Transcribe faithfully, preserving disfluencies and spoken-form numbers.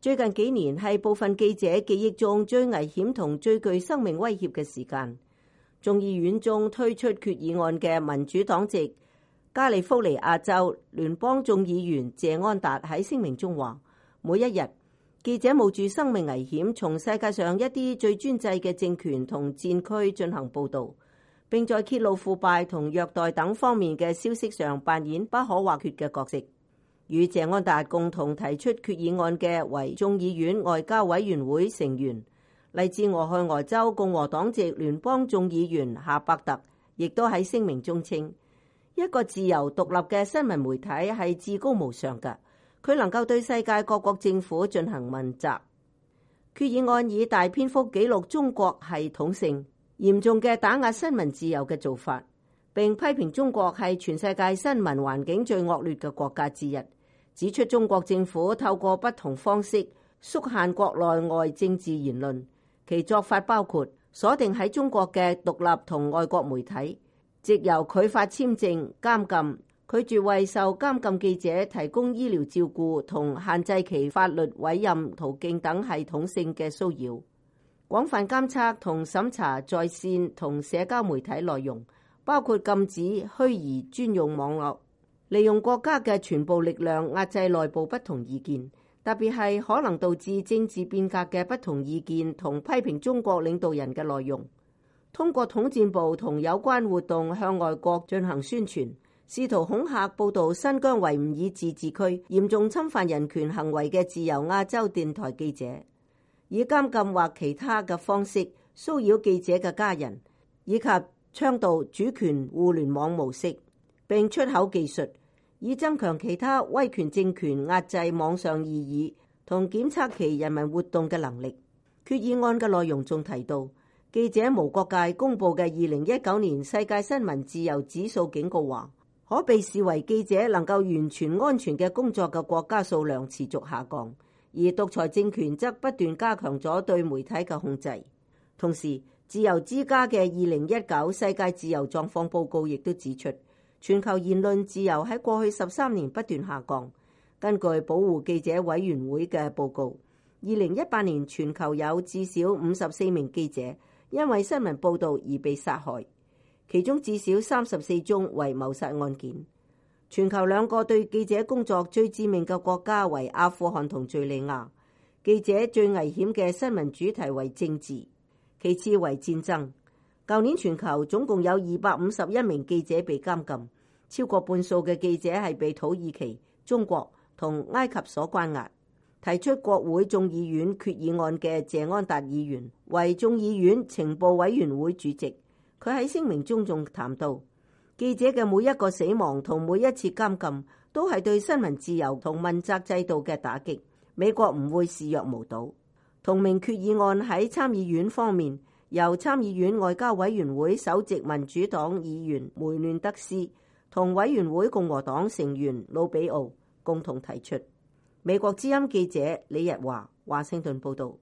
最近幾年係部分記者記憶中最危險同最具生命威脅嘅時間。眾議院中推出決議案嘅民主黨籍加利福尼亞州聯邦眾議員謝安達喺聲明中話：每一日，記者冒住生命危險，從世界上一啲最專制嘅政權同戰區進行報導，並在揭露腐敗同虐待等方面嘅消息上扮演不可或缺嘅角色。與謝安達共同提出決議案嘅為眾議院外交委員會成員，嚟自俄亥俄州共和黨籍聯邦眾議員夏伯特，亦都喺聲明中稱：一個自由獨立嘅新聞媒體係至高無上嘅，佢能夠對世界各國政府進行問責。決議案以大篇幅記錄中國系統性嚴重嘅打壓新聞自由嘅做法，並批評中國係全世界新聞環境最惡劣嘅國家之一，指出中國政府透過不同方式縮限國內外政治言論，其做法包括鎖定喺中國嘅獨立同外國媒體，藉由拒發簽證、監禁、拒絕為受監禁記者提供醫療照顧同限制其法律委任途徑等系統性嘅騷擾，廣泛監測同審查在線同社交媒體內容，包括禁止虛擬專用網絡，利用國家嘅全部力量壓制內部不同意見，特別係可能導致政治變革嘅不同意見同批評中國領導人嘅內容。通過統戰部同有關活動向外國進行宣傳，試圖恐嚇報導新疆維吾爾自治區嚴重侵犯人權行為嘅自由亞洲電台記者，以監禁或其他嘅方式騷擾記者嘅家人，以及倡導主權互聯網模式，並出口技術，以增強其他威權政權壓制網上異議同檢測其人民活動嘅能力。決議案嘅內容仲提到，記者無國界公佈嘅二零一九年世界新聞自由指數警告話，可被視為記者能夠完全安全嘅工作嘅國家數量持續下降，而獨裁政權則不斷加強咗對媒體嘅控制。同時，自由之家嘅二零一九世界自由狀況報告亦都指出，全球言論自由喺過去十三年不斷下降。根據保護記者委員會嘅報告，二零一八年全球有至少五十四名記者因為新聞報導而被殺害，其中至少三十四宗為謀殺案件。全球兩個對記者工作最致命嘅國家為阿富汗同敘利亞。記者最危險嘅新聞主題為政治，其次為戰爭。舊年全球總共有二百五十一名記者被監禁，超過半數嘅記者係被土耳其、中國同埃及所關押。提出國會眾議院決議案嘅謝安達議員為眾議院情報委員會主席，佢喺聲明中仲談到，記者嘅每一個死亡同每一次監禁都係對新聞自由同問責制度嘅打擊，美國唔會視若無睹。同名決議案喺參議院方面，由參議院外交委員會首席民主黨議員梅亂德斯同委員會共和黨成員魯比奧共同提出。美國之音記者李日華華盛頓報道。